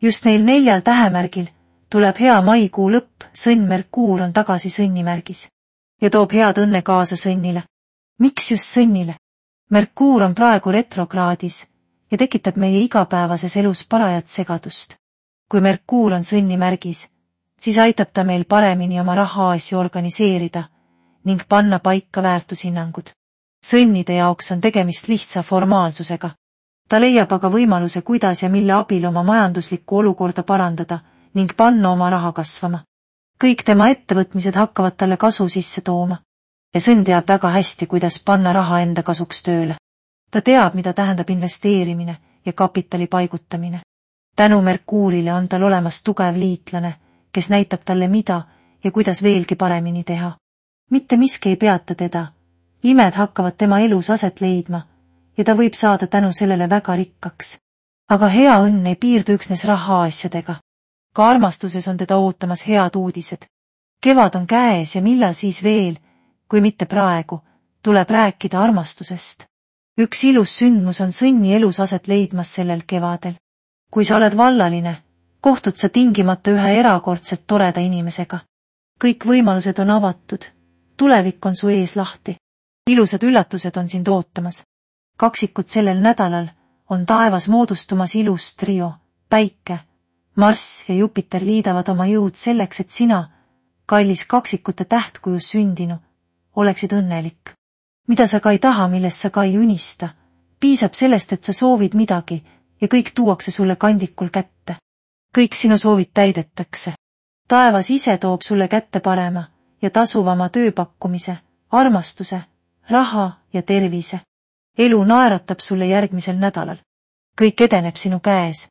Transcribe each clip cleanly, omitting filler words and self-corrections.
Just neil 4 tähemärgil tuleb hea maikuu lõpp, sõnn Merkuur on tagasi sõnnimärgis ja toob head õnne kaasa sõnnile. Miks just sõnnile? Merkuur on praegu retrokraadis ja tekitab meie igapäevases elus parajat segadust. Kui Merkuur on sõnnimärgis, siis aitab ta meil paremini oma rahaasju organiseerida ning panna paika väärtushinnangud. Sõnnide jaoks on tegemist lihtsa formaalsusega. Ta leiab aga võimaluse, kuidas ja mille abil oma majanduslikku olukorda parandada ning panna oma raha kasvama. Kõik tema ettevõtmised hakkavad talle kasu sisse tooma ja sõnn teab väga hästi, kuidas panna raha enda kasuks tööle. Ta teab, mida tähendab investeerimine ja kapitali paigutamine. Tänu Merkuurile on tal olemas tugev liitlane, kes näitab talle mida ja kuidas veelgi paremini teha. Mitte miski ei peata teda. Imed hakkavad tema elus aset leidma ja ta võib saada tänu sellele väga rikkaks. Aga hea õnn ei piirdu üksnes rahaasjadega. Ka armastuses on teda ootamas head uudised. Kevad on käes ja millal siis veel, kui mitte praegu, tuleb rääkida armastusest. Üks ilus sündmus on sõnni elus aset leidmas sellel kevadel. Kui sa oled vallaline, kohtud sa tingimata ühe erakordselt toreda inimesega. Kõik võimalused on avatud. Tulevik on su ees lahti. Ilusad üllatused on sind ootamas. Kaksikud sellel nädalal on taevas moodustumas ilus trio. Päike, Marss ja Jupiter liidavad oma jõud selleks, et sina, kallis kaksikute tähtkujus sündinu, oleksid õnnelik. Mida sa ka ei taha, millest sa ka ei unista, piisab sellest, et sa soovid midagi ja kõik tuuakse sulle kandikul kätte. Kõik sinu soovid täidetakse. Taevas ise toob sulle kätte parema ja tasuvama tööpakkumise, armastuse, raha ja tervise. Elu naeratab sulle järgmisel nädalal. Kõik edeneb sinu käes.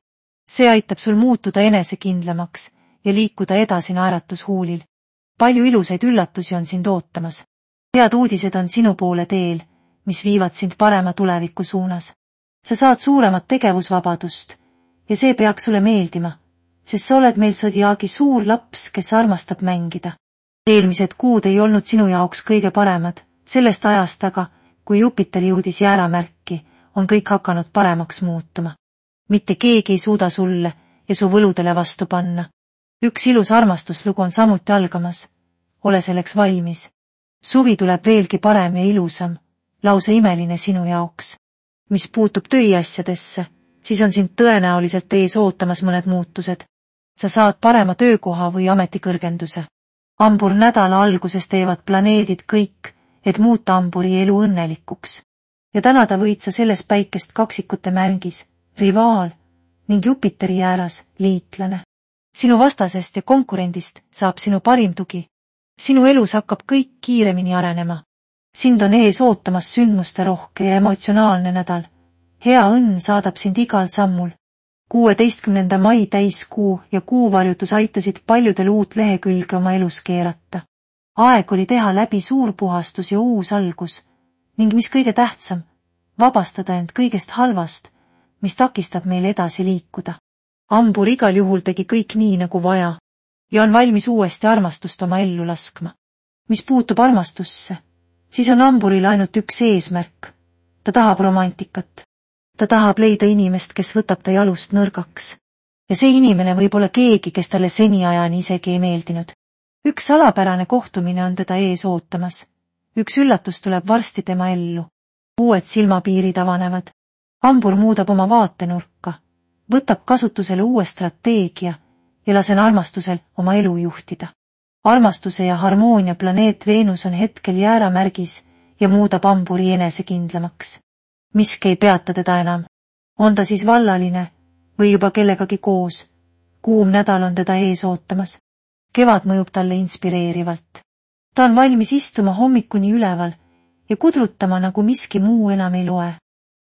See aitab sul muutuda enesekindlamaks ja liikuda edasi naeratushuulil. Palju ilusaid üllatusi on sind ootamas. Head uudised on sinu poole teel, mis viivad sind parema tuleviku suunas. Sa saad suuremat tegevusvabadust ja see peaks sulle meeldima, sest sa oled meil Zodiaagi suur laps, kes armastab mängida. Eelmised kuud ei olnud sinu jaoks kõige paremad, sellest ajast aga, kui Jupiter jõudis jääramärki, on kõik hakanud paremaks muutuma. Mitte keegi ei suuda sulle ja su võludele vastu panna. Üks ilus armastuslugu on samuti algamas. Ole selleks valmis. Suvi tuleb veelgi parem ja ilusam, lausa imeline sinu jaoks. Mis puutub tööasjadesse, siis on sind tõenäoliselt ees ootamas mõned muutused. Sa saad parema töökoha või ametikõrgenduse. Hambur nädala alguses teevad planeedid kõik, et muuta hamburi elu õnnelikuks. Ja tänada võid sa selles päikest kaksikute märgis, rivaal ning Jupiteri ääras liitlane. Sinu vastasest ja konkurendist saab sinu parim tugi. Sinu elus hakkab kõik kiiremini arenema. Sind on ees ootamas sündmuste rohke ja emotsionaalne nädal. Hea õnn saadab sind igal sammul. 16. mai täiskuu ja kuuvarjutus aitasid paljudel uut lehekülge oma elus keerata. Aeg oli teha läbi suur puhastus ja uus algus ning mis kõige tähtsam, vabastada end kõigest halvast, mis takistab meil edasi liikuda. Hambur igal juhul tegi kõik nii nagu vaja ja on valmis uuesti armastust oma ellu laskma. Mis puutub armastusse, siis on hamburil ainult üks eesmärk. Ta tahab romantikat. Ta tahab leida inimest, kes võtab ta jalust nõrgaks. Ja see inimene võib olla keegi, kes talle seniajani isegi ei meeldinud. Üks salapärane kohtumine on teda ees ootamas. Üks üllatus tuleb varsti tema ellu. Uued silmapiirid avanevad. Hambur muudab oma vaatenurka, võtab kasutusele uue strateegia ja lasen armastusel oma elu juhtida. Armastuse ja harmoonia planeet Veenus on hetkel jääramärgis ja muudab hamburi enesekindlamaks. Miski ei peata teda enam. On ta siis vallaline või juba kellegagi koos. Kuum nädal on teda ees ootamas. Kevad mõjub talle inspireerivalt. Ta on valmis istuma hommikuni üleval ja kudrutama, nagu miski muu enam ei loe.